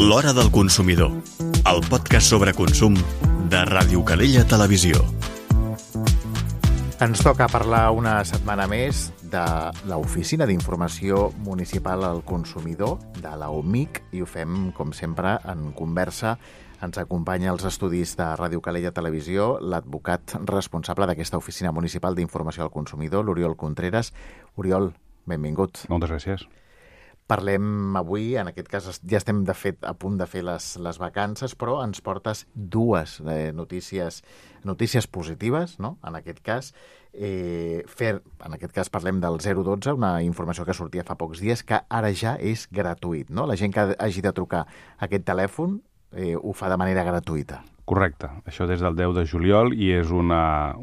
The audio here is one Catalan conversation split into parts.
L'Hora del Consumidor, el podcast sobre consum de Ràdio Calella Televisió. Ens toca parlar una setmana més de l'Oficina d'Informació Municipal al Consumidor, de la OMIC, i ho fem, com sempre, en conversa. Ens acompanya als estudis de Ràdio Calella Televisió l'advocat responsable d'aquesta Oficina Municipal d'Informació al Consumidor, l'Oriol Contreras. Oriol, benvingut. Moltes gràcies. Parlem avui, en aquest cas ja estem de fet a punt de fer les vacances, però ens portes dues notícies positives, no? En aquest cas, parlem del 012, una informació que sortia fa pocs dies, que ara ja és gratuït, no? La gent que hagi de trucar a aquest telèfon ho fa de manera gratuïta. Correcte. Això des del 10 de juliol i és una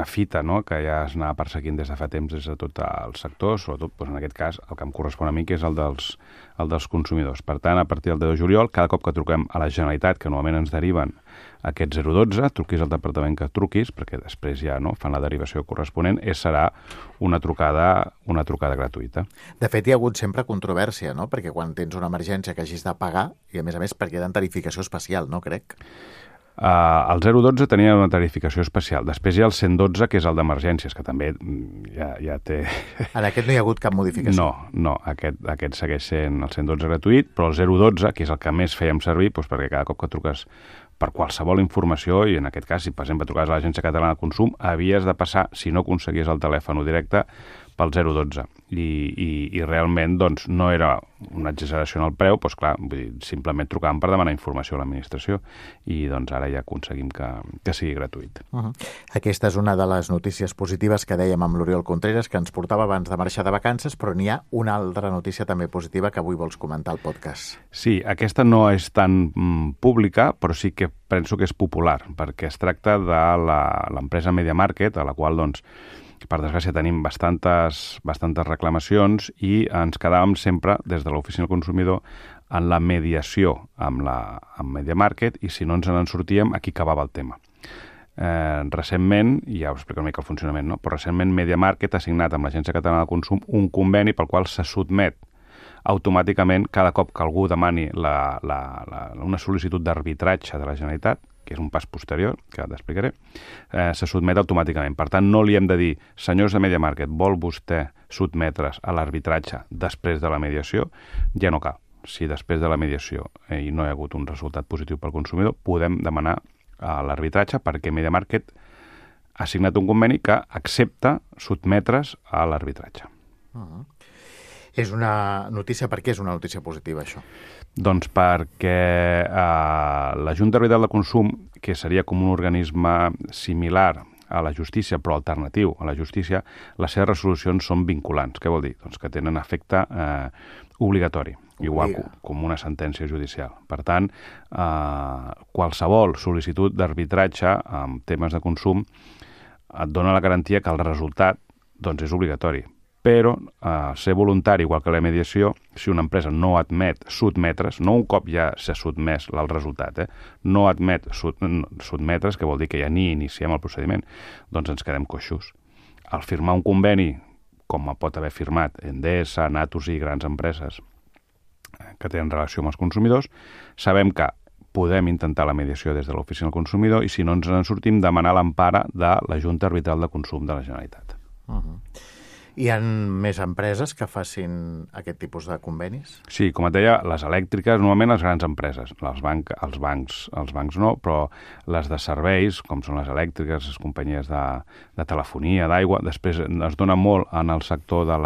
fita, no?, que ja es anava perseguint des de fa temps des de tot el sector, sobretot, doncs, en aquest cas, el que em correspon a mi, que és el dels consumidors. Per tant, a partir del 10 de juliol, cada cop que truquem a la Generalitat, que normalment ens deriven aquest 012, truquis al departament que truquis, perquè després ja fan la derivació corresponent, serà una trucada gratuïta. De fet, hi ha hagut sempre controvèrsia, no?, perquè quan tens una emergència que hagis de pagar, i a més perquè hi ha tarificació especial, no, crec? El 012 tenia una tarificació especial. Després hi ha el 112, que és el d'emergències, que també ja té... En aquest no hi ha hagut cap modificació? No, aquest segueix sent el 112 gratuït, però el 012, que és el que més fèiem servir, doncs perquè cada cop que truques per qualsevol informació, i en aquest cas, si per exemple trucaves a l'Agència Catalana de Consum, havies de passar, si no aconseguies el telèfon directe, pel 012. I realment doncs, no era una exageració en el preu, doncs clar, vull dir, simplement trucàvem per demanar informació a l'administració i doncs ara ja aconseguim que sigui gratuït. Aquesta és una de les notícies positives que dèiem amb l'Oriol Contreras, que ens portava abans de marxar de vacances, però n'hi ha una altra notícia també positiva que avui vols comentar al podcast. Sí, aquesta no és tan pública, però sí que penso que és popular, perquè es tracta de l'empresa Media Market, a la qual, doncs, per desgràcia tenim bastantes reclamacions i ens quedàvem sempre, des de l'Oficina del Consumidor, en la mediació amb Media Market i si no ens en sortíem, aquí acabava el tema. Recentment, i ja us explico una mica el funcionament, no? Però recentment Media Market ha signat amb l'Agència Catalana de Consum un conveni pel qual se sotmet automàticament cada cop que algú demani una sol·licitud d'arbitratge de la Generalitat, que és un pas posterior, que t'explicaré, se sotmet automàticament. Per tant, no li hem de dir, senyors de Media Market, vol vostè sotmetre's a l'arbitratge després de la mediació? Ja no cal. Si després de la mediació i no hi ha hagut un resultat positiu pel consumidor, podem demanar l'arbitratge perquè Media Market ha signat un conveni que accepta sotmetre's a l'arbitratge. És una notícia... Per què és una notícia positiva, això? Doncs perquè la Junta Arbitral de Consum, que seria com un organisme similar a la justícia, però alternatiu a la justícia, les seves resolucions són vinculants. Què vol dir? Doncs que tenen efecte obligatori, igual com una sentència judicial. Per tant, qualsevol sol·licitud d'arbitratge en temes de consum et dona la garantia que el resultat és obligatori. Però ser voluntari, igual que la mediació, si una empresa no admet sotmetre's, no un cop ja s'ha sotmès el resultat, no admet sotmetre's, que vol dir que ja ni iniciem el procediment, doncs ens quedem coixos. Al firmar un conveni, com pot haver firmat Endesa, Naturgy i grans empreses que tenen relació amb els consumidors, sabem que podem intentar la mediació des de l'Oficina del Consumidor i si no ens en sortim, demanar l'empara de la Junta Arbitral de Consum de la Generalitat. Hi ha més empreses que facin aquest tipus de convenis? Sí, com et deia, les elèctriques, normalment les grans empreses. Els bancs no, però les de serveis, com són les elèctriques, les companyies de telefonia, d'aigua, després es dona molt en el sector de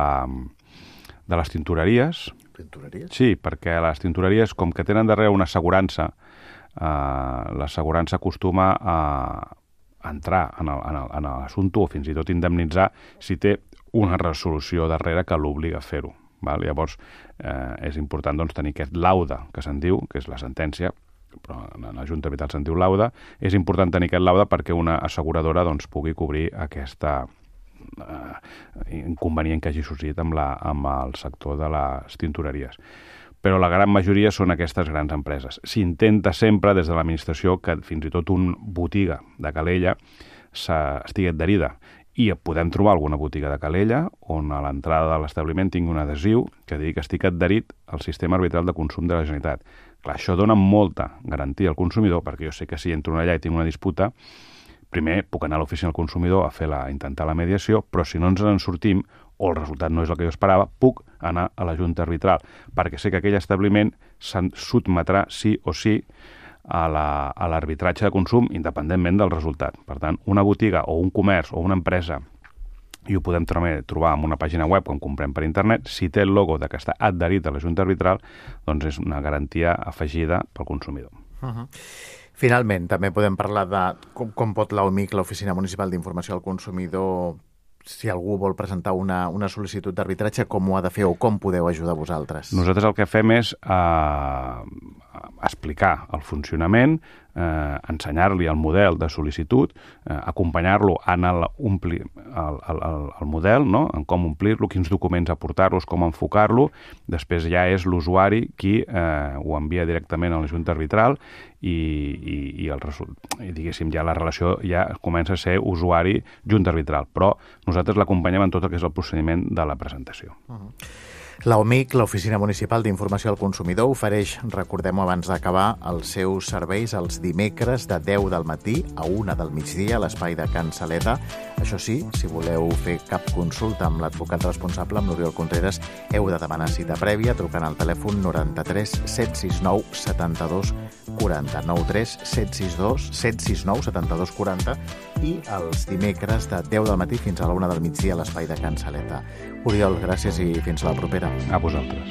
les tintoreries. Tintoreries? Sí, perquè les tintoreries, com que tenen darrere una assegurança, l'assegurança acostuma a entrar en l'assumpte o fins i tot indemnitzar si té una resolució darrere que l'obliga a fer-ho. Llavors, és important tenir aquest laude, que se'n diu, que és la sentència, però en la Junta Arbitral se'n diu laude, és important tenir aquest laude perquè una asseguradora pugui cobrir aquesta inconvenient que hagi sorgit amb el sector de les tintoreries. Però la gran majoria són aquestes grans empreses. S'intenta sempre des de l'administració que fins i tot una botiga de Calella estigui adherida. I podem trobar alguna botiga de Calella on a l'entrada de l'establiment tingui un adhesiu que digui que estic adherit al sistema arbitral de consum de la Generalitat. Clar, això dona molta garantia al consumidor, perquè jo sé que si entro allà i tinc una disputa, primer puc anar a l'oficina del consumidor a intentar la mediació, però si no ens en sortim o el resultat no és el que jo esperava, puc anar a la Junta Arbitral, perquè sé que aquell establiment se'n sotmetrà sí o sí a l'arbitratge de consum independentment del resultat. Per tant, una botiga o un comerç o una empresa, i ho podem trobar en una pàgina web quan comprem per internet, si té el logo de que està adherit a la Junta Arbitral, doncs és una garantia afegida pel consumidor. Finalment, també podem parlar de com pot l'OMIC, l'Oficina Municipal d'Informació al Consumidor, si algú vol presentar una sol·licitud d'arbitratge, com ho ha de fer o com podeu ajudar vosaltres? Nosaltres el que fem és explicar el funcionament, ensenyar-li el model de sol·licitud, acompanyar-lo en el model, no? En com omplir-lo, quins documents aportar-los, com enfocar-lo. Després ja és l'usuari qui ho envia directament a la Junta Arbitral i diguéssim, ja la relació ja comença a ser usuari-Junta Arbitral. Però nosaltres l'acompanyem en tot el que és el procediment de la presentació. L'OMIC, l'Oficina Municipal d'Informació al Consumidor, ofereix, recordem-ho abans d'acabar, els seus serveis els dimecres de 10 del matí a 1 del migdia a l'espai de Can Saleta. Això sí, si voleu fer cap consulta amb l'advocat responsable, amb l'Oriol Contreras, heu de demanar cita prèvia trucant al telèfon 93 769 72 40, 93 762 769 72 40 i els dimecres de 10 del matí fins a la 1 del migdia a l'espai de Can Saleta. Oriol, gràcies i fins la propera. A vosaltres.